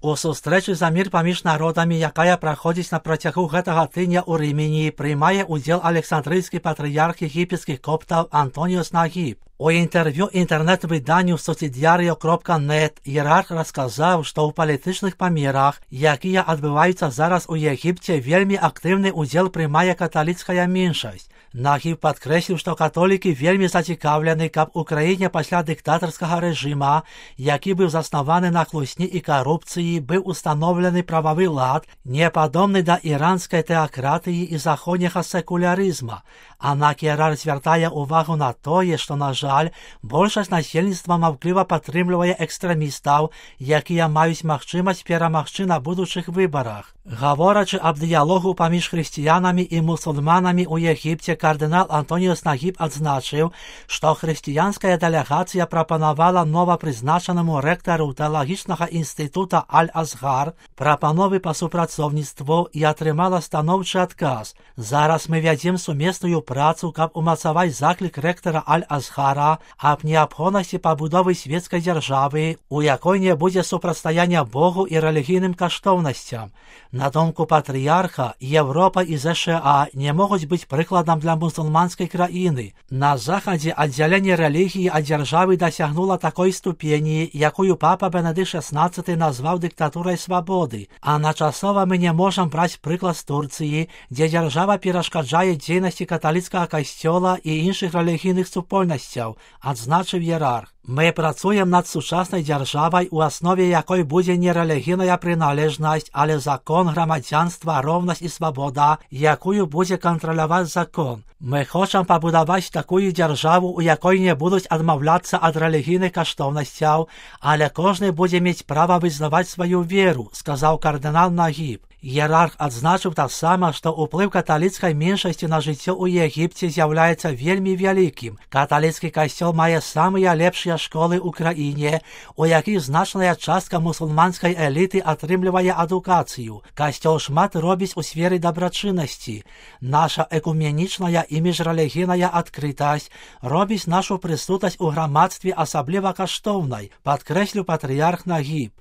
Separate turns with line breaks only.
У сустрэчы за мір паміж народамі, якая праходзіць на працягу гэтага тыдня ў Рымені, прымае ўдзел Александрыйскі патрыярх егіпецкіх коптаў Антоніос Нагіб. У інтэрв'ю інтэрнэт-выданню sociediario.net іерарх расказаў, што ў палітычных памерах, якія адбываюцца зараз у Егіпце, вельмі актыўны ўдзел прымае каталіцкая меншасць. Нагіб падкрэсліў, што католікі вельмі зацікаўлены, каб у краіне пасля дыктатарскага рэжыма, які быў заснаваны на хлусні і карупцыі, быў устаноўлены прававы лад, не падобны да іранскай тэакратыі і заходняга секулярызма. Аднак іерарх звяртае ўвагу на тое, што, на жаль, большасць насельніцтва маўкліва падтрымлівае экстрэмістаў, якія маюць магчымасць перамагчы на будучых выбарах. Гаворачы аб дыялогу паміж хрысціянамі і мусульманамі ў Егіпце, кардынал Антоніос Нагіб адзначыў, што хрысціянская дэлегацыя прапанавала новапрызначанаму рэктару тэалагічнага інстытута Аль-Азгар прапановы па супрацоўніцтву і атрымала станоўчы адказ. Зараз мы вядзем сумесную працу, каб умацаваць заклік рэктара Аль-Азгара аб неабходнасці пабудовы свецкай дзяржавы, у якой не будзе супрацьстаяння Богу і рэлігійным каштоўнасцям. На думку патрыярха, Еўропа і ЗША не могуць быць прыкладам для мусульманскай краіны. На захадзе аддзяленне рэлігіі ад дзяржавы дасягнула такой ступені, якую папа Бенедыкт XVI назваў дыктатурай свабоды, а начасова мы не можам браць прыклад з Турцыі, дзе дзяржава перашкаджае дзейнасці каталіцкага касцёла і іншых рэлігійных супольнасцяў, адзначыў іерарх. Мы працуем над сучаснай дзяржавай, у аснове якой будзе не рэлігійная прыналежнасць, але закон, грамадзянства, роўнасць і свабода, якую будзе кантраляваць закон. Мы хочам пабудаваць такую дзяржаву, у якой не будуць адмаўляцца ад рэлігійных каштоўнасцяў, але кожны будзе мець права вызнаваць сваю веру, сказаў кардынал Нагіб. Іерарх адзначыў таксама, што ўплыў каталіцкай меншасці на жыццё ў Егіпце з'яўляецца вельмі вялікім. Каталіцкі касцёл мае самыя лепшыя школы ў краіне, у якіх значная частка мусульманскай эліты атрымлівае адукацыю. Касцёл шмат робіць у сферы дабрачыннасці. Наша экуменічная і міжрэлігійная адкрытасць робіць нашу прысутнасць у грамадстве асабліва каштоўнай, падкрэсліў патрыярх Нагіб.